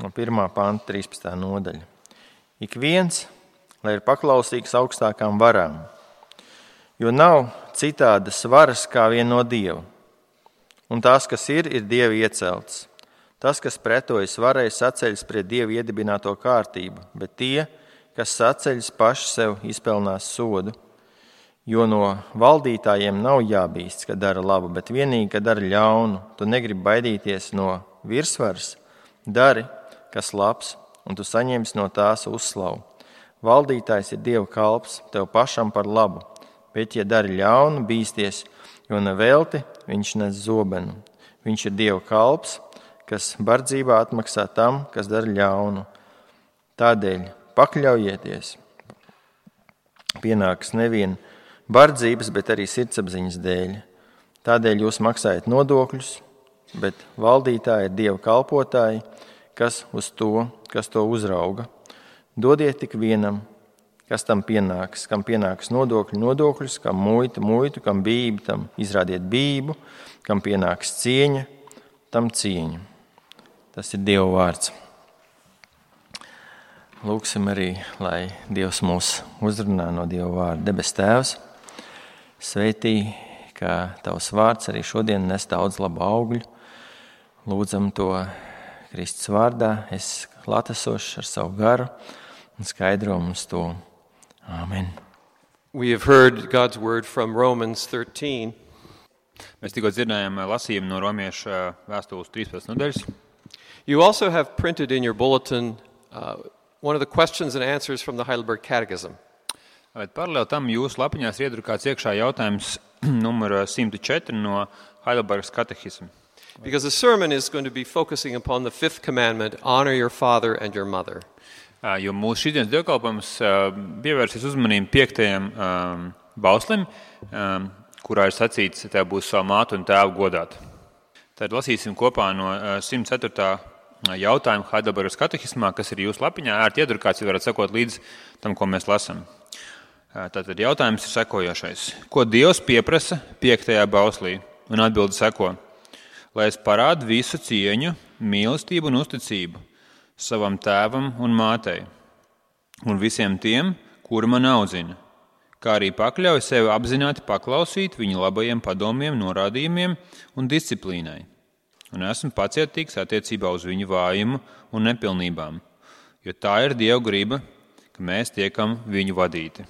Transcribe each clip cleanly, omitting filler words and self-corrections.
no 1. panta 13. nodaļa. Ik viens, lai ir paklausīgs augstākām varām, jo nav citādas varas kā vien no Dieva. Un tās, kas ir Dieva ieceltas. Tas, kas pretojas varai, saceļas pret Dieva iedibināto kārtību, bet tie, kas saceļas, paši sev izpelnās sodu. Jo no valdītājiem nav jābīsts, ka dara labu, bet vienīgi, ka dara ļaunu. Tu negribi baidīties no virsvaras, dari, kas labs, un tu saņemsi no tās uzslavu. Valdītājs ir Dieva kalps, tev pašam par labu, bet, ja dari ļaunu, bīsties, jo nevelti viņš nes zobenu. Viņš ir Dieva kalps, kas bardzībā atmaksā tam, kas dara ļaunu. Tādēļ pakļaujieties. Pienāks nevien bardzības, bet arī sirdsapziņas dēļ. Tādēļ jūs maksājat nodokļus, bet valdītāji ir Dieva kalpotāji, kas to uzrauga. Dodiet tik vienam, kas tam pienāks, kam pienāks nodokļus, kam muitu, kam bību, tam izrādiet bību, kam pienāks cieņa, tam cieņu. Tas ir Dieva vārds. Lūksim arī, lai Dievs mūs uzrunā no Dieva vārda. Debes Tēvs, sveitī, ka Tavs vārds arī šodien nes daudz labu augļu. Lūdzam to Kristus vārdā, es klātesošs ar savu garu un skaidro mums to. Amen. We have heard God's word from Romans 13. Mēs tikko dzirdējām lasījumu no Romiešu vēstules 13. nodaļas. You also have printed in your bulletin one of the questions and answers from the Heidelberg Catechism. Bet paralēli tam jūsu lapiņās ir iedrukāts iekšā jautājums numur 104 no Heidelbergas katehisma. Because the sermon is going to be focusing upon the fifth commandment, honor your father and your mother. Jo mūsu šīdienas dievkalpojums pievērsies uzmanību 5. bauslim, kurā ir sacīts, tev būs savu mātu un tēvu godāt. Tad lasīsim kopā no 104. jautājuma Heidelbergas katehismā, kas ir jūsu lapiņā, ērti iedrukāts, ja varat sekot līdz tam, ko mēs lasam. Tātad jautājums ir sekojošais. Ko Dievs pieprasa 5. bauslī? Un atbilde seko. Lai es parādu visu cieņu, mīlestību un uzticību savam tēvam un mātei un visiem tiem, kuri man audzina, kā arī pakļauj sevi apzināti paklausīt viņu labajiem padomiem, norādījumiem un disciplīnai. Un esmu pacietīgs attiecībā uz viņu vājumu un nepilnībām, jo tā ir Dieva griba, ka mēs tiekam viņu vadīti.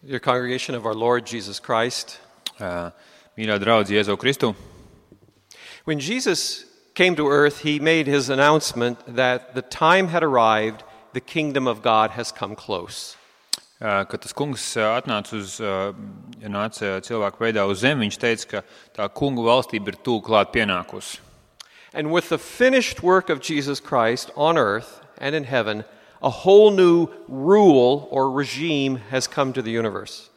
Dear congregation of our Lord Jesus Christ, Mīļā draudze Jēzu Kristu. when Jesus came to earth, he made his announcement that the time had arrived, the kingdom of God has come close. Kad tas kungs nāca cilvēku veidā uz zemi, viņš teica, ka tā kungu valstība ir tuvu klāt pienākusi. And with the finished work of Jesus Christ on earth and in heaven, a whole new rule or regime has come to the universe.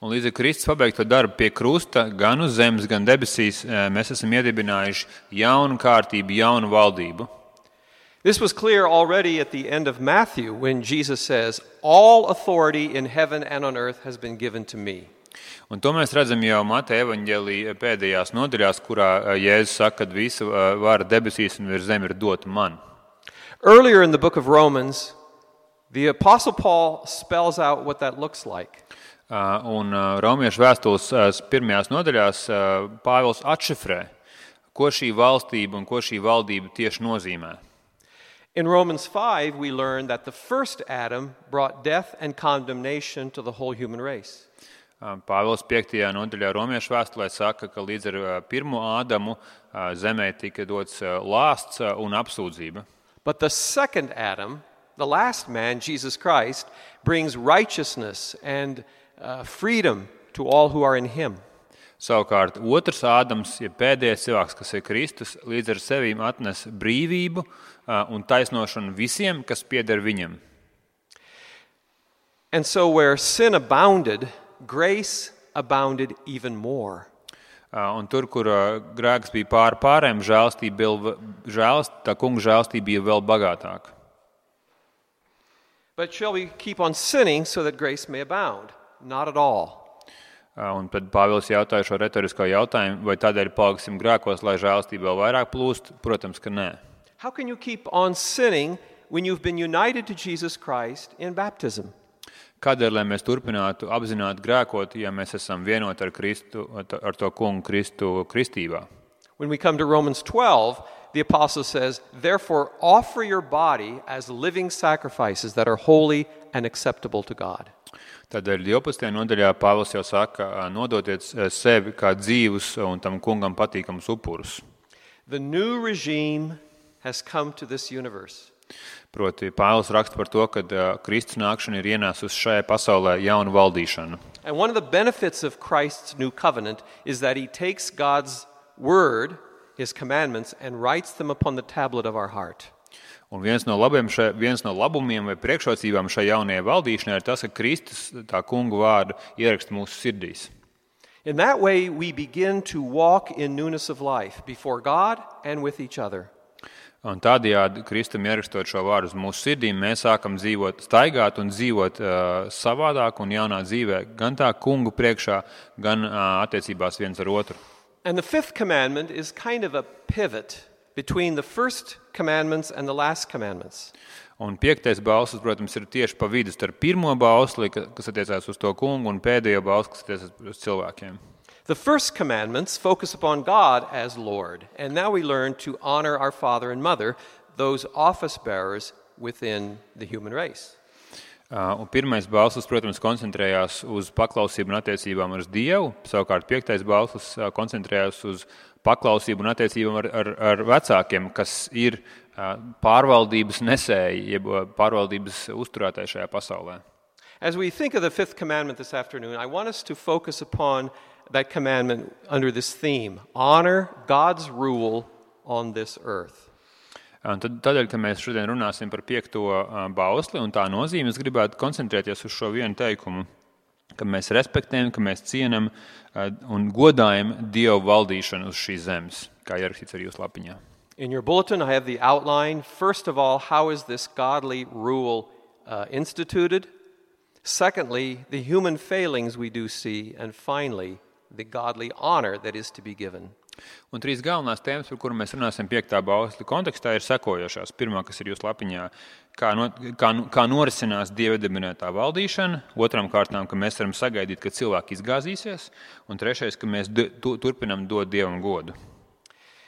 Un līdz ar Kristus pabeigto darbu pie krusta, gan uz zemes, gan debesīs, mēs esam iedibinājuši jaunu kārtību, jaunu valdību. This was clear already at the end of Matthew when Jesus says, all authority in heaven and on earth has been given to me. Un to mēs redzam jau Mateja evaņģēlija pēdējās nodaļās, kurā Jēzus saka, ka visa vara debesīs un virs zemi ir dota man. Earlier in the book of Romans, the Apostle Paul spells out what that looks like. Un Romiešu vēstules pirmajās nodaļās Pāvils atšifrē, ko šī valstība un ko šī valdība tieši nozīmē. In Romans 5, we learn that the first Adam brought death and condemnation to the whole human race. Pāvils 5. nodaļā Romiešu vēstulē saka, ka līdz ar pirmo Ādamu zemē tika dots lāsts un apsūdzība. But the second Adam, the last man, Jesus Christ, brings righteousness and freedom to all who are in him. Savukārt, otrs Ādams, ja pēdējais cilvēks, kas ir Kristus, līdz ar sevīm atnes brīvību un taisnošanu visiem, kas pieder viņam. And so where sin abounded, grace abounded even more. Un tur, kur grēks bija pārēm, tā kunga žēlstība bija vēl bagātāka. But shall we keep on sinning so that grace may abound? Not at all. Un tad Pāvils jautāja šo retorisko jautājumu, vai tādēļ paliksim grēkos, lai žēlastība vēl vairāk plūst? Protams, ka nē. How can you keep on sinning when you've been united to Jesus Christ in baptism? Kādēļ, lai mēs turpinātu apzināti grēkot, ja mēs esam vienoti ar Kristu, ar to kungu Kristu kristībā? When we come to Romans 12, the apostle says, "Therefore offer your body as living sacrifices that are holy and acceptable to God." Tādēļ 12. nodaļā Pāvils jau saka, nododiet sevi kā dzīvus un tam kungam patīkamus upurus. The new regime has come to this universe. Proti, Pāvils raksta par to, ka Kristus nākšana ir ienāsusi šajā pasaulē jaunu valdīšanu. And one of the benefits of Christ's new covenant is that he takes God's word, his commandments, and writes them upon the tablet of our heart. Un viens no labumiem vai priekšrocībām šai jaunajai valdīšanai ir tas, ka Kristus tā kungu vārdu ieraksta mūsu sirdīs. In that way, we begin to walk in newness of life before God and with each other. Un tādējādi, Kristum ierakstot šo vārdu uz mūsu sirdīm, mēs sākam staigāt un dzīvot savādāk un jaunā dzīvē, gan tā kungu priekšā, gan attiecībās viens ar otru. And the fifth commandment is kind of a pivot between the first commandments and the last commandments. Un 5. bauslis, protams, ir tieši pa vidu starp pirmo bausli, kas attiecās uz to kungu, un pēdējo bausli, kas attiecās uz cilvēkiem. The first commandments focus upon God as Lord, and now we learn to honor our father and mother, those office bearers within the human race. Un pirmais bauslis, protams, koncentrējās uz paklausību un attiecībām ar Dievu, savukārt 5. bauslis koncentrējās uz paklausību un attiecībām ar vecākiem, kas ir pārvaldības nesēji, jeb pārvaldības uzturētāji šajā pasaulē. As we think of the fifth commandment this afternoon, I want us to focus upon that commandment under this theme, honor God's rule on this earth. Tādēļ, ka mēs šodien runāsim par 5. bausli un tā nozīme, es gribētu koncentrēties uz šo vienu teikumu, ka mēs respektējam, ka mēs cienam un godājam Dievu valdīšanu uz šīs zemes, kā ierakstīts ar jūsu lapiņā. In your bulletin, I have the outline. First of all, how is this godly rule instituted? Secondly, the human failings we do see. And finally, the godly honor that is to be given. Un 3 galvenās tēmas, par kurām mēs runāsim 5. bausli kontekstā, ir sekojošās. Pirmā, kas ir jūsu lapiņā, kā norisinās Dieva dibinātā valdīšana, otram kārtām, ka mēs varam sagaidīt, ka cilvēki izgāzīsies, un trešais, ka mēs turpinam dot Dievam godu.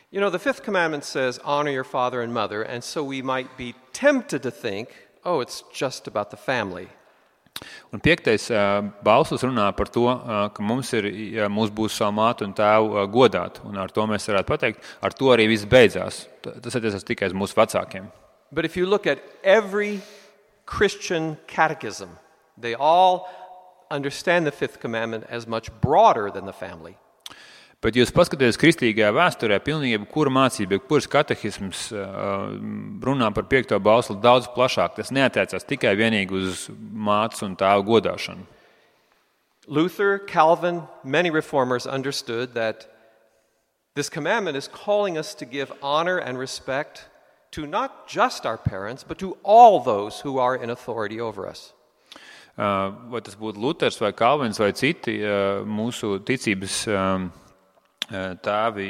You know, the fifth commandment says, honor your father and mother, and so we might be tempted to think, oh, it's just about the family. Un 5. bauslis runā par to, ka mums būs savu mātu un tēvu godāt, un ar to mēs varētu pateikt, ar to arī viss beidzās. Tas attiecas tikai uz mūsu vecākiem. But if you look at every Christian catechism, they all understand the fifth commandment as much broader than the family. Bet jūs paskatieties kristīgajā vēsturē, pilnīgi jebkura mācība, jebkuras katehisms runā par 5. bausli daudz plašāk. Tas neatiecās tikai vienīgi uz mātes un tēvu godāšanu. Luther, Calvin, many reformers understood that this commandment is calling us to give honor and respect to not just our parents, but to all those who are in authority over us. Vai tas būtu Luters vai Kalvins vai citi mūsu ticības tēvi,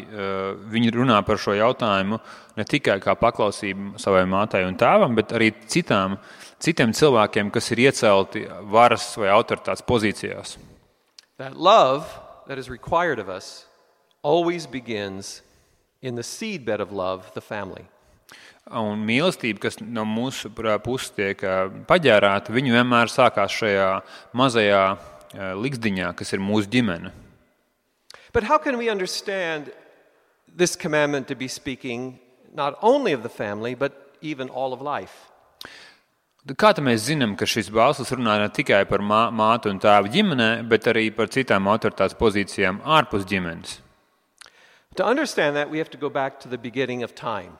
viņi runā par šo jautājumu ne tikai kā paklausību savai mātei un tēvam, bet arī citiem cilvēkiem, kas ir iecelti varas vai autoritātes pozīcijās. That love that is required of us always begins in the seedbed of love, the family. Un mīlestība, kas no mūsu puses tiek paģērāta, viņu vienmēr sākās šajā mazajā liksdiņā, kas ir mūsu ģimene. But how can we understand this commandment to be speaking not only of the family, but even all of life? Kā tad mēs zinām, ka šis bauslis runā ne tikai par mātu un tēvu ģimenē, bet arī par citām autoritātes pozīcijām ārpus ģimenes? To understand that, we have to go back to the beginning of time.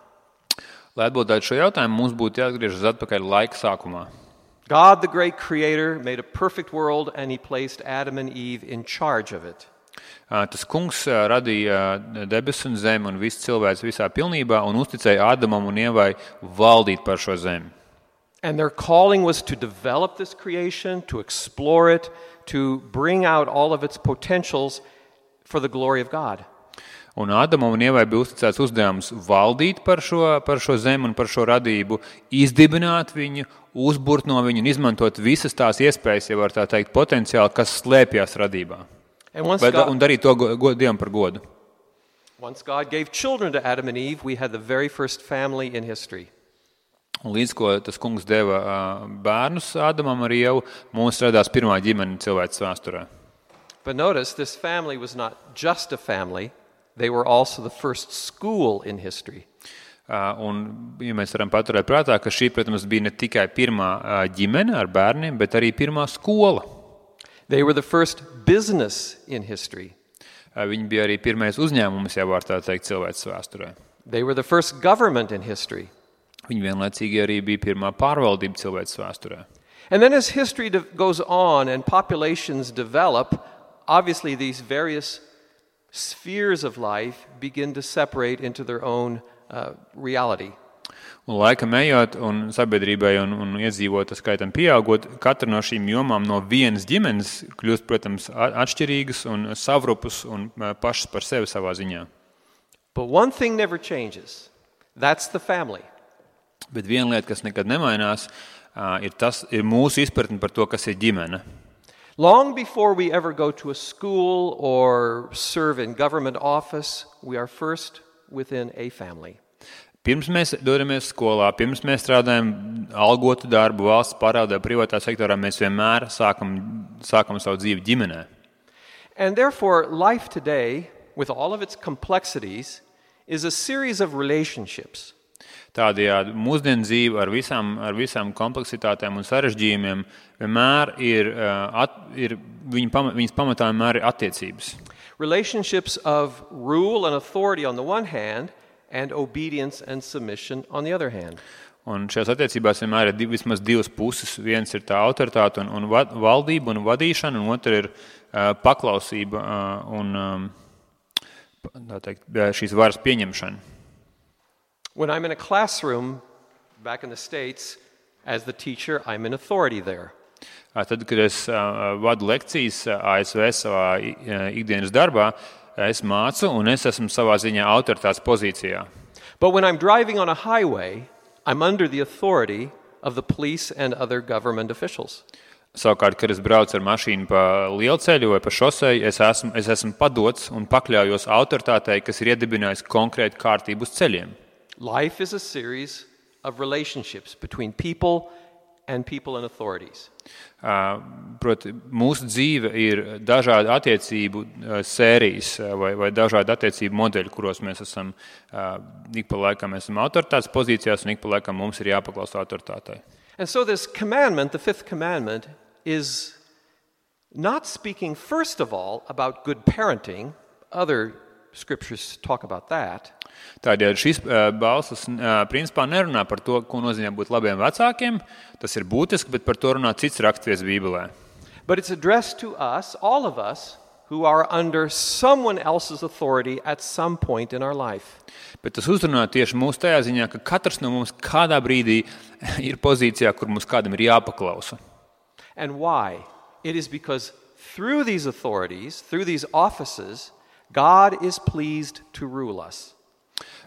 Lai atbildētu šo jautājumu, mums būtu jāatgriežas atpakaļ laika sākumā. God, the great creator, made a perfect world and he placed Adam and Eve in charge of it. Tas kungs radīja debesis un zemi un visu cilvēks visā pilnībā un uzticēja Ādamam un Ievai valdīt par šo zemi. And their calling was to develop this creation, to explore it, to bring out all of its potentials for the glory of God. Un Ādamam un Ievai bija uzticēts uzdevums valdīt par šo zemi un par šo radību, izdibināt viņu, uzburt no viņu un izmantot visas tās iespējas, ja var tā teikt, potenciāli, kas slēpjas radībā. Un darīt to Dievam par godu. Once God gave children to Adam and Eve, we had the very first family in history. Un līdz ko tas kungs deva bērnus Ādamam ar Ievu, mums radās pirmā ģimene cilvēces vēsturē. But notice, this family was not just a family. They were also the first school in history. Un, ja mēs varam paturēt prātā, ka šī, protams, bija ne tikai pirmā ģimene ar bērniem, bet arī pirmā skola. They were the first business in history. Viņi bija arī pirmais uzņēmums, ja var tā teikt, cilvēces vēsturē. They were the first government in history. Viņi vienlaicīgi arī bija pirmā pārvaldība cilvēces vēsturē. And then as history goes on and populations develop, obviously these various spheres of life begin to separate into their own reality. Un laikam ejot un sabiedrībai un iedzīvotāju skaitam pieaugot, katra no šīm jomām no vienas ģimenes kļūst, protams, atšķirīgas un savrupas un pašas par sevi savā ziņā. But one thing never changes. That's the family. Bet viena lieta, kas nekad nemainās, ir mūsu izpratne par to, kas ir ģimene. Long before we ever go to a school or serve in government office, we are first within a family. Pirms mēs dodamies skolā, pirms mēs strādājam algotu darbu, valsts pārvaldē, privātā sektorā, mēs vienmēr sākam savu dzīvi ģimenē. And therefore, life today, with all of its complexities, is a series of relationships. Tādējādi mūsdienu dzīve ar visām kompleksitātēm un sarežģījumiem vienmēr viņas pamatā vienmēr ir attiecības. Relationships of rule and authority on the one hand and obedience and submission on the other hand. Un šajās attiecībās vienmēr ir vismaz divas puses. Viens ir tā autoritāte un valdība un vadīšana, un otra ir paklausība un tā teikt, šīs varas pieņemšana. When I'm in a classroom back in the States, as the teacher, I'm in authority there. Tad, kad es vadu lekcijas ASV savā ikdienas darbā, es mācu un es esmu savā ziņā autoritātes pozīcijā. But when I'm driving on a highway, I'm under the authority of the police and other government officials. Savukārt, kad es braucu ar mašīnu pa lielceļu vai pa šoseju, es esmu padots un pakļaujos autoritātei, kas ir iedibinājusi konkrētu kārtību uz ceļiem. Life is a series of relationships between people and authorities. Proti, mūsu dzīve ir dažādi attiecību sērijas vai dažādi attiecību modeļi, kuros mēs esam ik pa laikam esam autoritātes pozīcijās un ik pa laikam mums ir jāpaklausa autoritātei. And so this commandment, the fifth commandment, is not speaking first of all about good parenting. Other scriptures talk about that. Tādēļ šis balsas principā nerunā par to, ko nozīmē būt labiem vecākiem. Tas ir būtiski, bet par to runā cits raksturviets Bībelē. But it's addressed to us, all of us, who are under someone else's authority at some point in our life. Bet tas uzrunā tieši mūs tajā ziņā, ka katrs no mums kādā brīdī ir pozīcijā, kur mums kādam ir jāpaklausa. And why? It is because through these authorities, through these offices, God is pleased to rule us.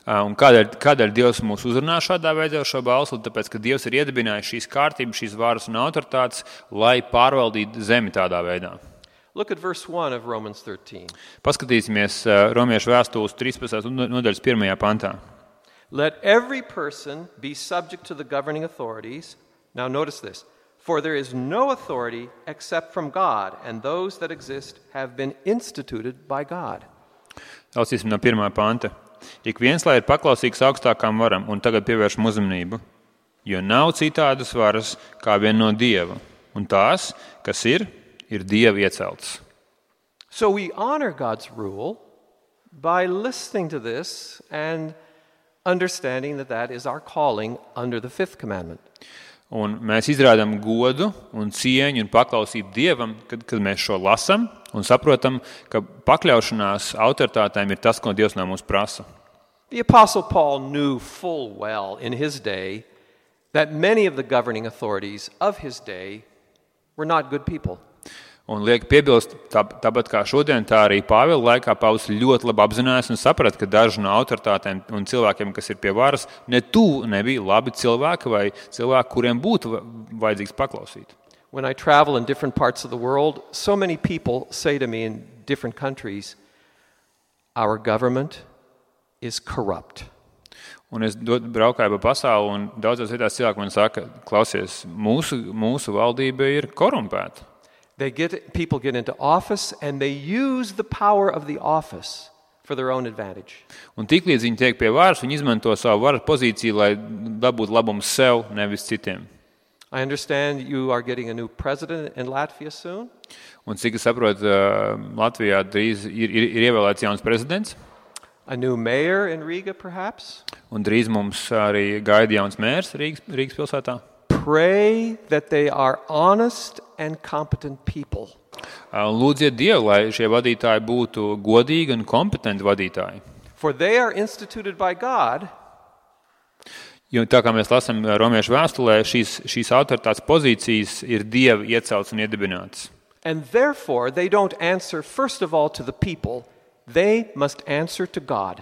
Un kādēļ Dievs mūs uzrunā šādā veidā šo balsu? Tāpēc, ka Dievs ir iedibinājis šīs kārtības, šīs varas un autoritātes, lai pārvaldītu zemi tādā veidā. Look at verse 1 of Romans 13. Paskatīsimies Romiešu vēstules 13. nodaļas 1. pantā. Let every person be subject to the governing authorities. Now notice this. For there is no authority except from God, and those that exist have been instituted by God. Lasīsim no 1. panta. Ik viens, lai ir paklausīgs augstākām varam, un tagad pievēršam uzmanību, jo nav citādas varas kā vien no Dieva, un tās, kas ir Dieva ieceltas. So we honor God's rule by listening to this and understanding that that is our calling under the fifth commandment. Un mēs izrādām godu un cieņu un paklausību Dievam, kad mēs šo lasam un saprotam, ka pakļaušanās autoritātēm ir tas, ko Dievs no mums prasa. The Apostle Paul knew full well in his day that many of the governing authorities of his day were not good people. Un liek piebilst, tāpat kā šodien, tā arī Pāvila laikā Pāvils ļoti labi apzinājās un saprata, ka daži no autoritātēm un cilvēkiem, kas ir pie varas, ne tuvu nebija labi cilvēki vai cilvēki, kuriem būtu vajadzīgs paklausīt. When I travel in different parts of the world, so many people say to me in different countries, our government is corrupt. Un es braukāju pa pasauli, un daudzās vietās cilvēki man saka, klausies, mūsu valdība ir korumpēta. People get into office and they use the power of the office for their own advantage. Un tiklīdz viņi tiek pie varas, viņi izmanto savu varas pozīciju, lai dabūtu labumu sev, nevis citiem. I understand you are getting a new president in Latvia soon. Un cik es saprotu, Latvijā drīz ir ievēlēts jauns prezidents. A new mayor in Riga, perhaps. Un drīz mums arī gaida jauns mērs Rīgas pilsētā. Pray that they are honest and competent people. Lūdziet Dievu, lai šie vadītāji būtu godīgi un kompetenti vadītāji. For they are instituted by God. Jo tā kā mēs lasām Romiešu vēstulē, šīs autoritātes pozīcijas ir Dieva ieceltas un iedibinātas. And therefore they don't answer first of all to the people, they must answer to God.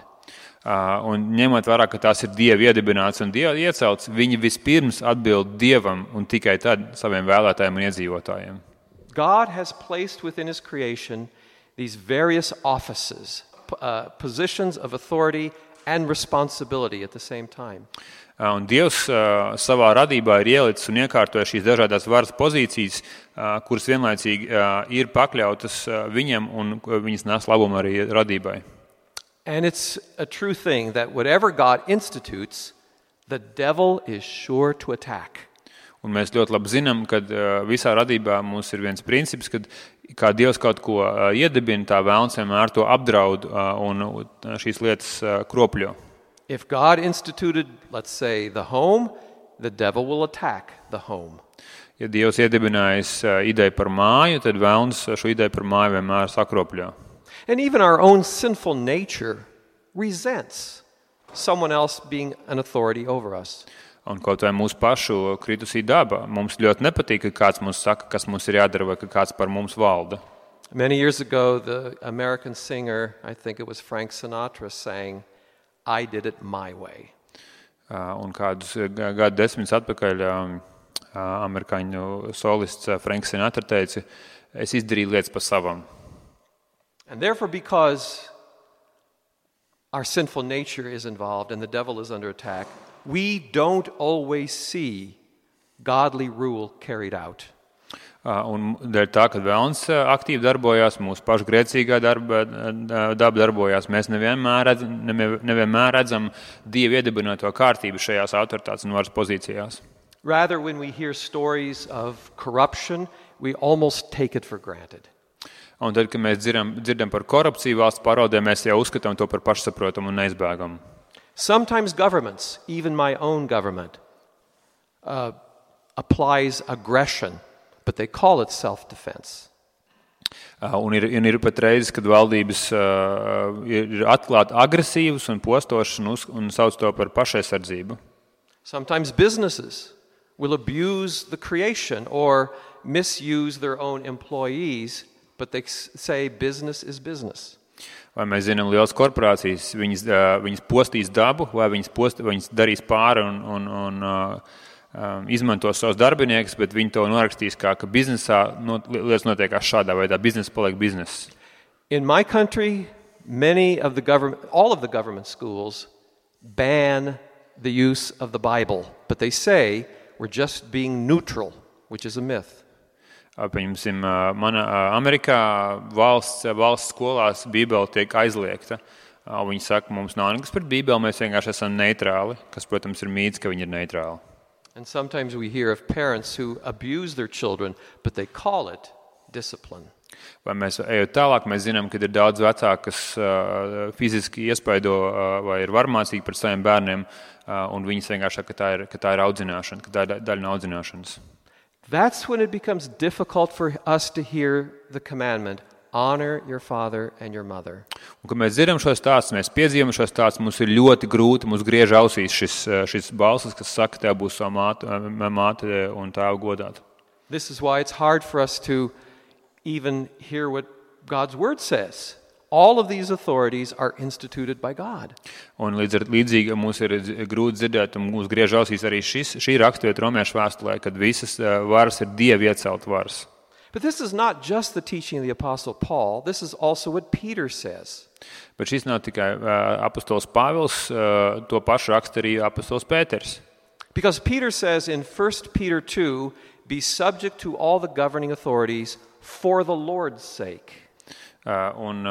Un ņemot vērā, ka tās ir Dieva iedibināts un Dieva iecelts, viņi vispirms atbild Dievam un tikai tad saviem vēlētājiem un iedzīvotājiem. God has placed within his creation these various offices, positions of authority and responsibility at the same time. Un Dievs savā radībā ir ielicis un iekārtojis šīs dažādās varas pozīcijas, kuras vienlaicīgi ir pakļautas viņam un viņas nes labumu arī radībai. And it's a true thing that whatever God institutes, the devil is sure to attack. Un mēs ļoti labi zinām, ka visā radībā mums ir viens princips, kad kā Dievs kaut ko iedibina, tā vēlns vienmēr to apdraud un šīs lietas kropļo. If God instituted, let's say, the home, the devil will attack the home. Ja Dievs iedibinājis ideju par māju, tad vēlns šo ideju par māju vienmēr sakropļo. And even our own sinful nature resents someone else being an authority over us. Un kaut vai mūsu pašu kritusī daba, mums ļoti nepatīk, ka kāds mums saka, kas mums ir jādara, vai ka kāds par mums valda. Many years ago, the American singer, I think it was Frank Sinatra, sang, I did it my way. Un kādus gadu desmitus atpakaļ amerikāņu solists Franks Sinatra teica, es izdarīju lietas pa savam. And therefore, because our sinful nature is involved and the devil is under attack, we don't always see godly rule carried out. Un dēļ tā, ka vēlns aktīvi darbojās, mūsu pašu grēcīgā daba darbojās, mēs nevienmēr redzam Dievu iedibināto kārtību šajās autoritātes un varas pozīcijās. Rather, when we hear stories of corruption, we almost take it for granted. Un tad, kad mēs dzirdam par korupciju valsts pārvaldē, mēs jau uzskatām to par pašsaprotamu un neizbēgamu. Sometimes governments, even my own government, applies aggression, but they call it self-defense. Un ir pat reizes, kad valdības ir atklāti agresīvas un postošas un sauc to par pašaizsardzību. Sometimes businesses will abuse the creation or misuse their own employees, but they say business is business. Vai mēs zinām, lielas korporācijas, viņas postīs dabu, vai viņas darīs pāri un izmantos savus darbiniekus, bet viņi to norakstīs kā, ka biznesā lietas notiekās šādā veidā, biznesa paliek bizness. In my country, all of the government schools ban the use of the Bible, but they say we're just being neutral, which is a myth. Pieņemsim, Amerikā valsts skolās Bībele tiek aizliegta. Viņi saka, mums nav nekas pret Bībeli, mēs vienkārši esam neitrāli, kas, protams, ir mīts, ka viņi ir neitrāli. And sometimes we hear of parents who abuse their children, but they call it discipline. Vai mēs ejot tālāk, mēs zinām, ka ir daudz vecāku, kas fiziski iespaido vai ir varmācīgi pret saviem bērniem, un viņas vienkārši saka, ka tā ir audzināšana, ka tā ir daļa no audzināšanas. That's when it becomes difficult for us to hear the commandment, honor your father and your mother. Un, kad mēs dzirdam šos stāstus, mēs piedzīvam šos stāstus, mums ir ļoti grūti, mums griež ausīs šis balsis, kas saka, tev būs savu māte un tēvu godāt. This is why it's hard for us to even hear what God's word says. All of these authorities are instituted by God. Un līdzīgi mums ir grūti dzirdēt, un mums griež ausīs arī šī raksturvieta Romiešu vēstulē, kad visas varas ir Dieva iecelt varas. But this is not just the teaching of the Apostle Paul. This is also what Peter says. Bet šis nav tikai apostols Pāvils, to pašu raksta arī apostols Pēters. Because Peter says in 1 Peter 2, be subject to all the governing authorities for the Lord's sake. Un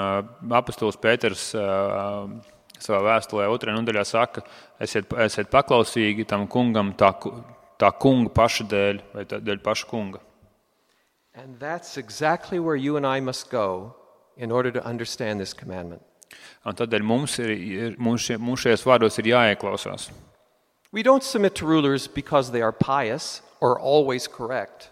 apostols Pēters savā vēstulē 2. nodaļā saka, esiet paklausīgi tam kungam tā kunga paša dēļ, vai dēļ paša kunga. And that's exactly where you and I must go in order to understand this commandment. Un tādēļ mums šajos vārdos ir jāieklausās. We don't submit to rulers because they are pious or always correct.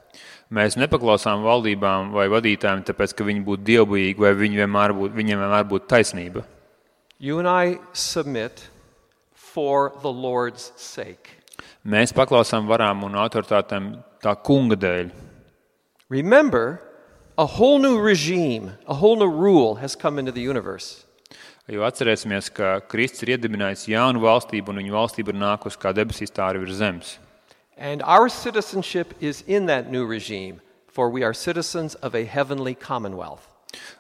Mēs nepaklausām valdībām vai vadītājiem, tāpēc, ka viņi būtu dievbijīgi vai viņiem vienmēr būtu taisnība. You and I submit for the Lord's sake. Mēs paklausām varām un autoritātēm tā kunga dēļ. Remember, a whole new regime, a whole new rule has come into the universe. Jo atcerēsimies, ka Kristus ir iedibinājis jaunu valstību, un viņa valstība ir nākusi kā debesīs, tā arī virs zemes. And our citizenship is in that new regime, for we are citizens of a heavenly commonwealth.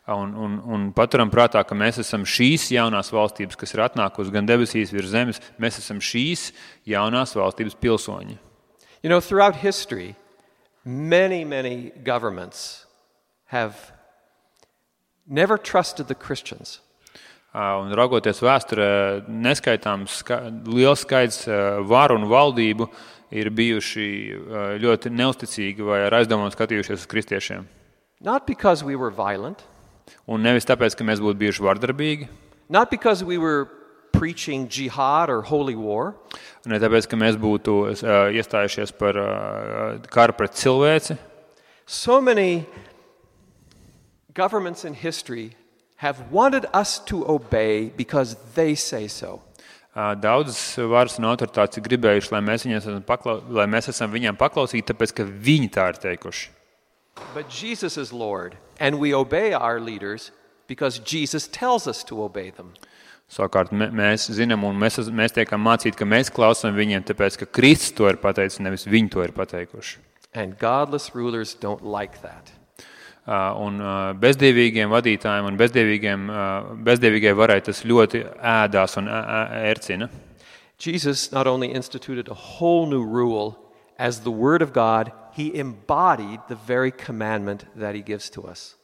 Un paturam prātā, ka mēs esam šīs jaunās valstības, kas ir atnākusi gan debesīs virs zemes, mēs esam šīs jaunās valstības pilsoņi. You know, throughout history, many governments have never trusted the Christians. Un raugoties vēsturē, neskaitāms liels skaits varu un valdību ir bijuši ļoti neusticīgi vai ar aizdomām skatījušies uz kristiešiem. Not because we were violent. Un nevis tāpēc, ka mēs būtu bijuši vardarbīgi. Not because we were preaching jihad or holy war. Ne tāpēc, ka mēs būtu iestājušies par karu pret cilvēci. So many governments in history have wanted us to obey because they say so. Daudzas varas un autoritātes ir gribējuši, lai mēs esam viņiem paklausīgi, tāpēc, ka viņi tā ir teikuši. But Jesus is Lord, and we obey our leaders because Jesus tells us to obey them. Savukārt mēs zinām un mēs tiekam mācīti, ka mēs klausām viņiem, tāpēc, ka Kristus to ir pateicis, nevis viņi to ir pateikuši. And godless rulers don't like that. Un bezdīvīgiem vadītājiem un bezdīvīgai varai tas ļoti ēdās un ērcina. Jesus not only instituted a whole new rule, as the Word of God, he embodied the very commandment that he gives to us.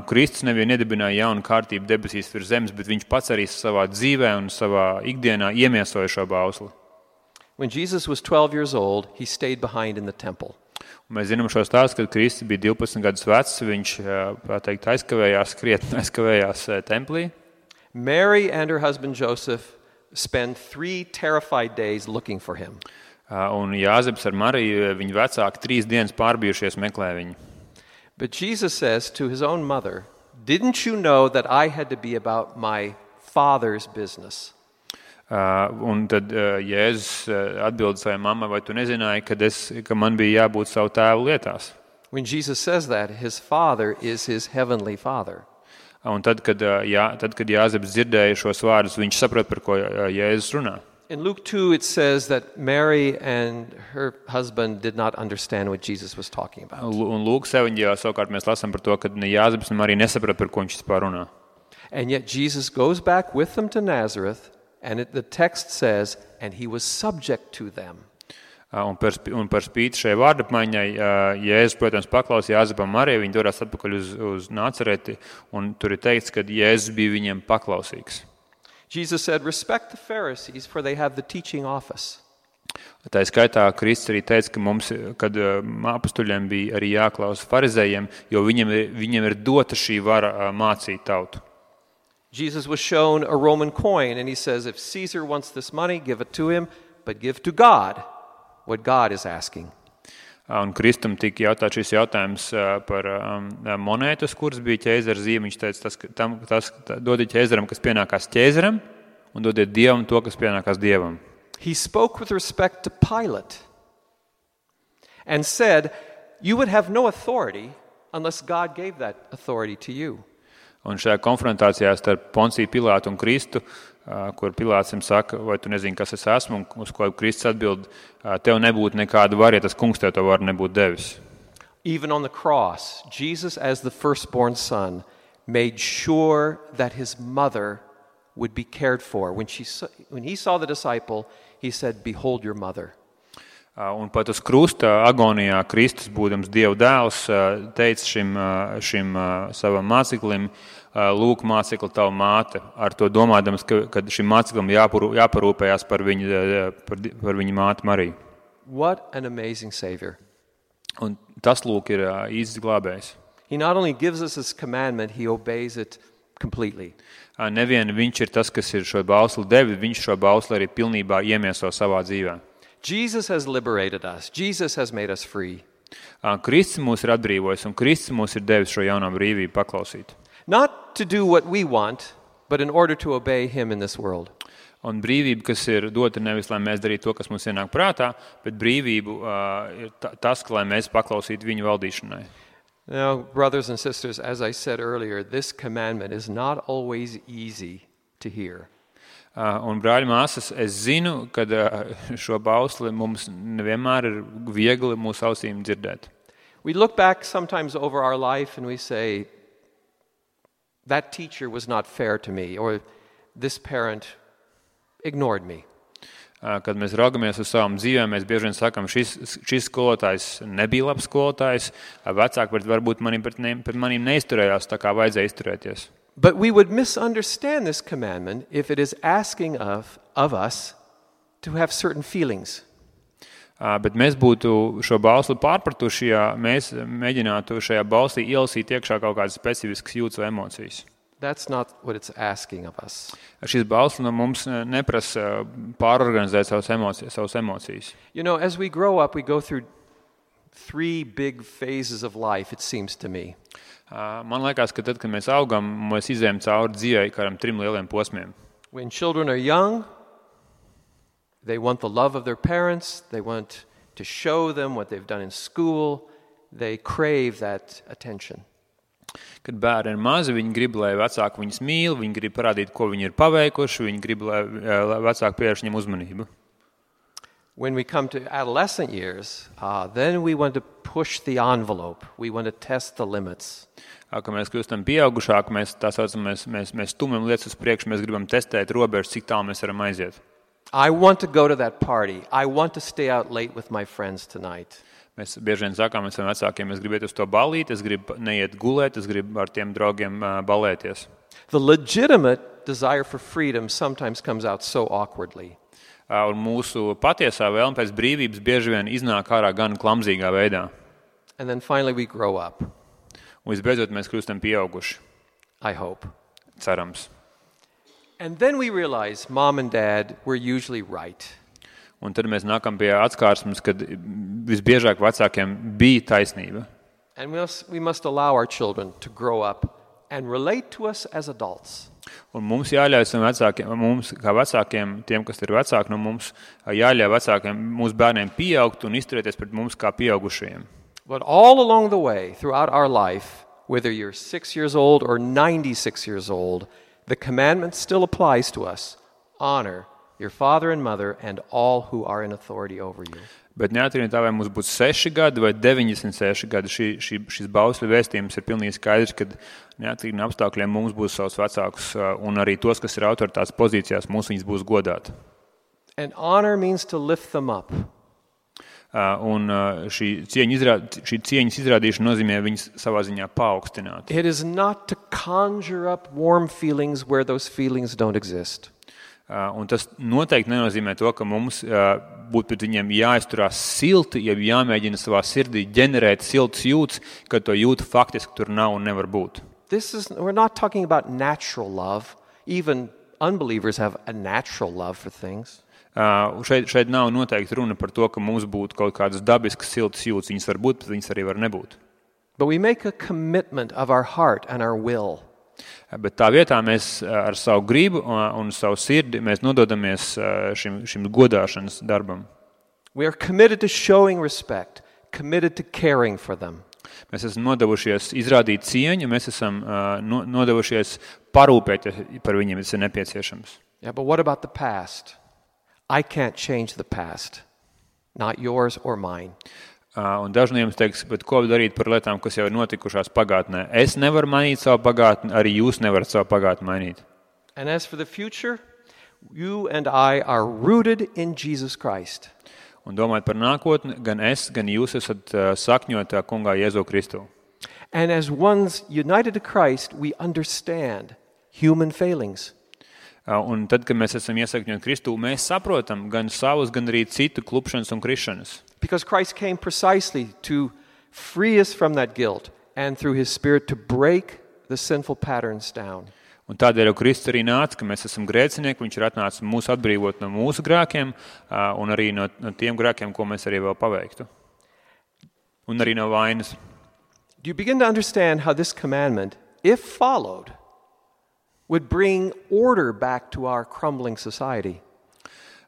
Kristus nevien iedibināja jaunu kārtību debesīs virs zemes, bet viņš pats arī savā dzīvē un savā ikdienā iemiesoja šo bausli. When Jesus was 12 years old, he stayed behind in the temple. Mēs zinām šo stāstu, kad Kristus bija 12 gadus vecs, viņš aizkavējās templī. Mary and her husband Joseph spent 3 terrified days looking for him. Un Jāzeps ar Mariju, viņa vecāki 3 dienas pārbijušies meklē viņu. But Jesus says to his own mother, "Didn't you know that I had to be about my Father's business?" Un tad Jēzus atbild savai mammai, vai tu nezināji, ka man bija jābūt savu tēvu lietās? When Jesus says that, his Father is his heavenly Father. Un tad, kad Jāzeps dzirdēja šos vārdus, viņš saprot, par ko Jēzus runā. In Luke 2, it says that Mary and her husband did not understand what Jesus was talking about. Un Lūkas evaņģēlijā savukārt mēs lasām par to, ka ne Jāzeps, ne Marija nesaprot, par ko viņš vispār runā. And yet Jesus goes back with them to Nazareth, and the text says, and he was subject to them. Un par spīti šai vārdapmaiņai, Jēzus, protams, paklausīja Jāzepam Marijai, viņi dodas atpakaļ uz Nācereti, un tur ir teikts, ka Jēzus bija viņiem paklausīgs. Jesus said, respect the Pharisees, for they have the teaching office. Tā skaitā Kristus arī teica, ka mums, kad apustuļiem bija arī jāklausa farizējiem, jo viņiem ir dota šī vara mācīt tautu. Jesus was shown a Roman coin, and he says, if Caesar wants this money, give it to him, but give to God what God is asking. Un Kristum tika jautāt šis jautājums par monētu, uz kuras bija ķēzara zīme. Viņš teica, dodiet ķēzaram, kas pienākās ķēzaram, un dodiet Dievam to, kas pienākās Dievam. He spoke with respect to Pilate and said, you would have no authority unless God gave that authority to you. Un šajā konfrontācijā starp Ponciju Pilātu un Kristu, kur Pilāts viņam saka, vai tu nezini, kas es esmu, un uz ko Kristus atbild, tev nebūtu nekāda var, ja tas kungs tev to var nebūtu devis. Even on the cross, Jesus, as the firstborn son, made sure that his mother would be cared for. When he saw the disciple, he said, behold your mother. Un pat uz krusta agonijā Kristus, būdams Dieva dēls, teica šim savam māceklim, lūk, mācekli, tava māte, ar to domādams, ka šim māceklim jāparūpējās par viņa māti Mariju. What an amazing Savior. Un tas, lūk, ir īsts glābējs. He not only gives us his commandment, he obeys it completely. Nevien viņš ir tas, kas ir šo bausli devis, viņš šo bausli arī pilnībā iemieso savā dzīvē. Jesus has liberated us. Jesus has made us free. Kristus mūs ir atbrīvojis, un Kristus mūs ir devis šo jaunā brīvību paklausīt. Not to do what we want, but in order to obey him in this world. Un brīvība, kas ir dota nevis, lai mēs darītu to, kas mums ienāk prātā, bet brīvību ir tas, lai mēs paklausītu viņu valdīšanai. Now, brothers and sisters, as I said earlier, this commandment is not always easy to hear. Un brāļi māsas, es zinu, ka šo bausli mums nevienmēr ir viegli mūsu ausīm dzirdēt. We look back sometimes over our life and we say, that teacher was not fair to me, or this parent ignored me. Kad mēs raugamies uz savām dzīvēm, mēs bieži vien sakam, šis skolotājs nebija labs skolotājs, vecāki varbūt pret maniem neizturējās tā, kā vajadzēja izturēties. But we would misunderstand this commandment if it is asking of us to have certain feelings. Bet mēs būtu šo bausli pārpratuši, ja mēs mēģinātu šajā bauslī ielasīt iekšā kaut kādas specifiskas jūtas vai emocijas. That's not what it's asking of us. Šis bausli no mums neprasa pārorganizēt savas emocijas. You know, as we grow up, we go through 3 big phases of life, it seems to me. Man liekas, ka tad, kad mēs augam, mēs izējam cauri dzīvei kādam 3 lieliem posmiem. When children are young, they want the love of their parents, they want to show them what they've done in school, they crave that attention. Kad bērni ir mazi, viņi grib, lai vecāki viņus mīl, viņi grib parādīt, ko viņi ir paveikuši, viņi grib, lai vecāki pievērš viņam uzmanību. When we come to adolescent years, then we want to push the envelope. We want to test the limits. Kad mēs kļūstam pieaugušāki, mēs stumjam lietas uz priekšu, mēs gribam testēt robežas, cik tālu mēs varam aiziet. I want to go to that party. I want to stay out late with my friends tonight. Mēs bieži vien sakām saviem vecākiem, es gribu iet uz to ballīti, es gribu neiet gulēt, es gribu ar tiem draugiem balēties. The legitimate desire for freedom sometimes comes out so awkwardly. Un mūsu patiesā vēlme pēc brīvības bieži vien iznāk ārā gan klamzīgā veidā. And then finally we grow up. Un visbeidzot mēs kļūstam pieauguši. I hope. Cerams. And then we realize mom and dad were usually right. Un tad mēs nākam pie atskārsmes, kad visbiežāk vecākiem bija taisnība. And we must allow our children to grow up and relate to us as adults. Un mums jāļauj vecākiem, mums kā vecākiem, tiem, kas ir vecāki no mums, jāļauj vecākiem, mūsu bērniem pieaugt un izturēties pret mums kā pieaugušajiem. But all along the way, throughout our life, whether you're 6 years old or 96 years old, the commandment still applies to us. Honor your father and mother and all who are in authority over you. Bet neatkarīgi no tā, vai mums būtu 6 gadi vai 96 gadi, šis bausļu vēstījums ir pilnīgi skaidrs, ka neatkarīgi no apstākļiem mums būs savs vecākus un arī tos, kas ir autoritātes pozīcijās, mums viņas būs godāt. And honor means to lift them up. Un šī cieņas izrādīšana nozīmē viņas savā ziņā paaugstināt. It is not to conjure up warm feelings where those feelings don't exist. Un tas noteikti nenozīmē to, ka mums būtu pret viņiem jāizturās silti, ja jāmēģina savā sirdī ģenerēt siltas jūtas, kad to jūta faktiski tur nav un nevar būt. We're not talking about natural love. Even unbelievers have a natural love for things. Šeit nav noteikti runa par to, ka mums būtu kaut kādas dabiskas siltas jūtas. Viņas var būt, bet viņas arī var nebūt. But we make a commitment of our heart and our will. Bet tā vietā mēs ar savu gribu un savu sirdi mēs nododamies šim godāšanas darbam. We are committed to showing respect, committed to caring for them. Mēs esam nodevušies izrādīt cieņu, mēs esam nodevušies parūpēt par viņiem, tas ir nepieciešams. Yeah, but what about the past? I can't change the past, not yours or mine. Un daži no jums teiks, bet ko darīt par lietām, kas jau ir notikušās pagātnē? Es nevaru mainīt savu pagātni, arī jūs nevarat savu pagātni mainīt. And as for the future, you and I are rooted in Jesus Christ. Un domājot par nākotni, gan es, gan jūs esat sakņotā kungā Jēzu Kristu. And as ones united to Christ, we understand human failings. Un tad, kad mēs esam iesakņoti Kristū, mēs saprotam gan savus, gan arī citu klupšanas un krišanas. Because Christ came precisely to free us from that guilt and through his Spirit to break the sinful patterns down. Un tādēļ jau Kristus arī nāca, ka mēs esam grēcinieki, viņš ir atnācis mūs atbrīvot no mūsu grēkiem un arī no tiem grēkiem, ko mēs arī vēl paveiktu. Un arī no vainas. Do you begin to understand how this commandment, if followed, would bring order back to our crumbling society?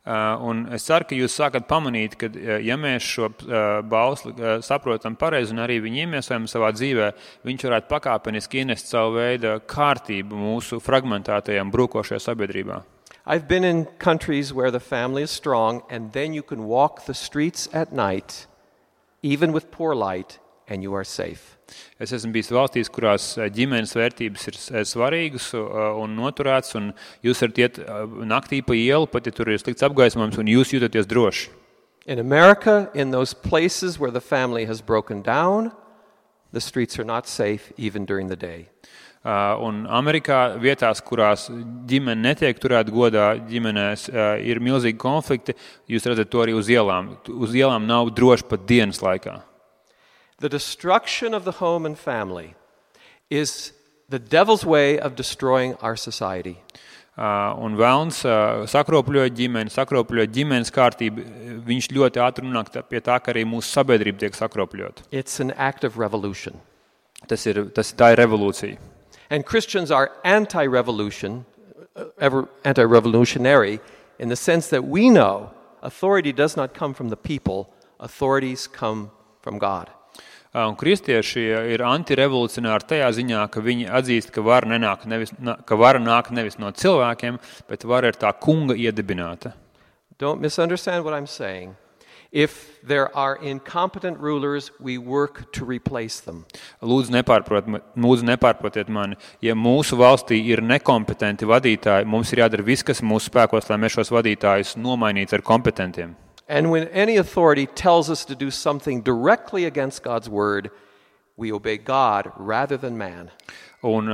Un es ceru, ka jūs sākat pamanīt, ka ja mēs šo bausli saprotam pareizi un arī viņu iemiesojam savā dzīvē, viņš varētu pakāpeniski ienest savu veidu kārtību mūsu fragmentētajām brūkošajā sabiedrībā. I've been in countries where the family is strong and then you can walk the streets at night, even with poor light, and you are safe. Es esmu bijis valstīs, kurās ģimenes vērtības ir svarīgas un noturētas, un jūs varat iet naktī pa ielu, pat ja tur ir slikts apgaismojums, un jūs jūtaties droši. In America, in those places where the family has broken down, the streets are not safe even during the day. Un Amerikā vietās, kurās ģimene netiek turēta godā, ģimenēs ir milzīgi konflikti, jūs redzat to arī uz ielām. Uz ielām nav droši pat dienas laikā. The destruction of the home and family is the devil's way of destroying our society. Un velns sakropļoja ģimenes kārtību. Viņš ļoti ātri nonāk pie tā, ka arī mūsu sabiedrība tiek sakropļota. It's an act of revolution. Tā ir revolūcija. And Christians are anti-revolutionary in the sense that we know authority does not come from the people, authorities come from God. Un kristieši ir antirevolucionāri tajā ziņā, ka viņi atzīst, ka vara nāk nevis no cilvēkiem, bet vara ir tā kunga iedibināta. Don't misunderstand what I'm saying. If there are incompetent rulers, we work to replace them. Lūdzu, nepārprotiet mani. Ja mūsu valstī ir nekompetenti vadītāji, mums ir jādara viss, kas mūsu spēkos, lai mēs šos vadītājus nomainītu ar kompetentiem. And when any authority tells us to do something directly against God's word, we obey God rather than man. Un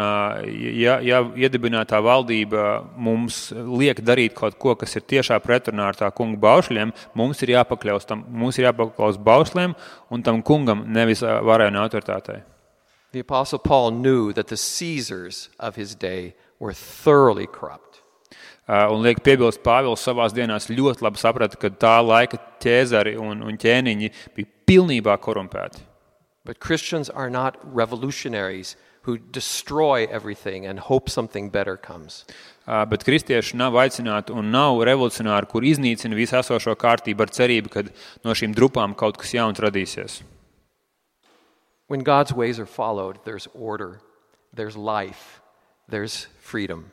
ja iedibinātā valdība mums liek darīt kaut ko, kas ir tiešā pretrunā ar tā kunga baušļiem, mums ir jāpaklaus baušļiem un tam kungam, nevis varai un autoritātei. The Apostle Paul knew that the Caesars of his day were thoroughly corrupt. Un liek piebilst, Pāvils savās dienās ļoti labi saprata, ka tā laika ķēzari un ķēniņi bija pilnībā korumpēti. But Christians are not revolutionaries who destroy everything and hope something better comes. Bet kristieši nav aicināti un nav revolucionāri, kur iznīcina visu esošo kārtību ar cerību, ka no šīm drupām kaut kas jauns radīsies. When God's ways are followed, there's order, there's life, there's freedom.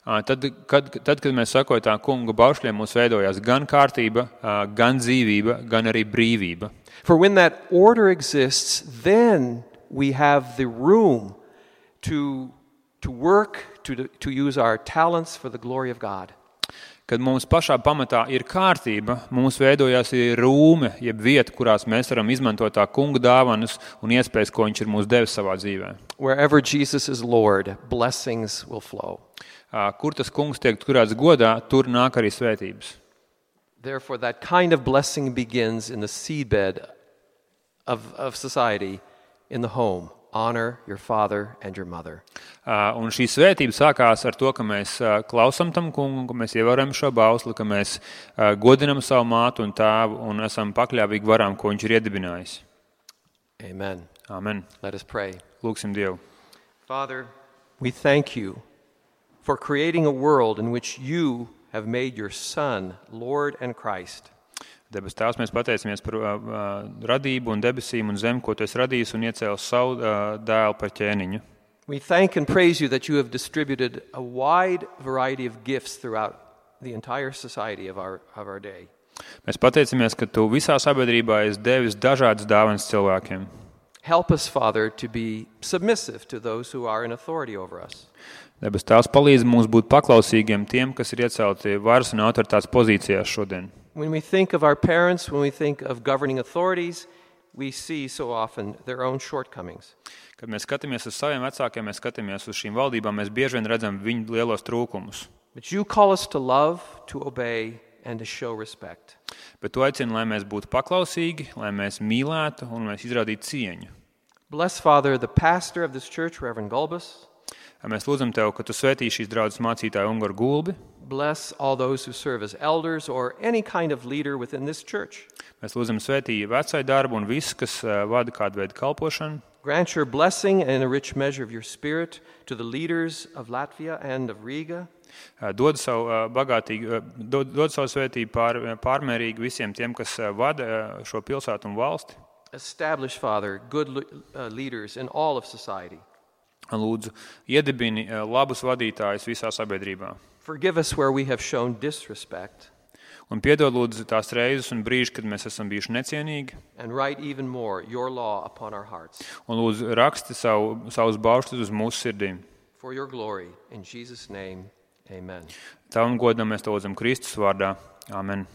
Tad, kad mēs sakojam tā kunga baušļiem, mums veidojās gan kārtība, gan dzīvība, gan arī brīvība. For when that order exists, then we have the room to work, to use our talents for the glory of God. Kad mums pašā pamatā ir kārtība, mums veidojās ir rūme, jeb vieta, kurās mēs varam izmantot tā kunga dāvanas un iespējas, ko viņš ir mums devis savā dzīvē. Wherever Jesus is Lord, blessings will flow. Kur tas kungs tiek turēts godā, tur nāk arī svētības. Therefore, that kind of blessing begins in the seedbed of society, in the home. honor your father and your mother. Un šī svētība sākās ar to, ka mēs klausām tam kungu, ka mēs ievērojam šo bausli, ka mēs godinam savu mātu un tēvu un esam pakļāvīgi varām, ko viņš ir iedibinājis. Amen. Amen. Let us pray. Lūksim Dievu. Father, we thank you for creating a world in which you have made your Son, Lord and Christ. Debes Tēvs, mēs pateicamies par radību un debesīm un zemi, ko tu esi radījis un iecēlis savu dēlu par ķēniņu. We thank and praise you that you have distributed a wide variety of gifts throughout the entire society of our day. Mēs pateicamies, ka tu visā sabiedrībā esi devis dažādas dāvanas cilvēkiem. Help us, Father, to be submissive to those who are in authority over us. Debes Tēvs palīdz mums būt paklausīgiem tiem, kas ir iecelti varas un autoritātes pozīcijās šodien. When we think of our parents, when we think of governing authorities, we see so often their own shortcomings. Kad mēs skatāmies uz saviem vecākiem, mēs skatāmies uz šīm valdībām, mēs bieži vien redzam viņu lielos trūkumus. But you call us to love, to obey, and to show respect. Bet tu aicini, lai mēs būtu paklausīgi, lai mēs mīlētu un mēs izrādītu cieņu. Bless, Father, the pastor of this church, Reverend Gulbis. Mēs lūdzam Tev, ka Tu svētī šīs draudzes mācītāju Ungaru Gulbi. Bless all those who serve as elders or any kind of leader within this church. Mēs lūdzam svētī vecai darbu un visu, kas vada kādu veidu kalpošanu. Grant your blessing and a rich measure of your spirit to the leaders of Latvia and of Riga. Dod savu svētību pārmērīgi visiem tiem, kas vada šo pilsētu un valsti. Establish, Father, good leaders in all of society. Lūdzu, iedibini labus vadītājus visā sabiedrībā. Forgive us where we have shown disrespect. Un piedod lūdzu tās reizes un brīži, kad mēs esam bijuši necienīgi. And write even more your law upon our hearts. Un lūdzu raksti savus baušļus uz mūsu sirdīm. For your glory, in Jesus' name, amen. Tavam godam mēs to lūdzam Kristus vārdā. Amen.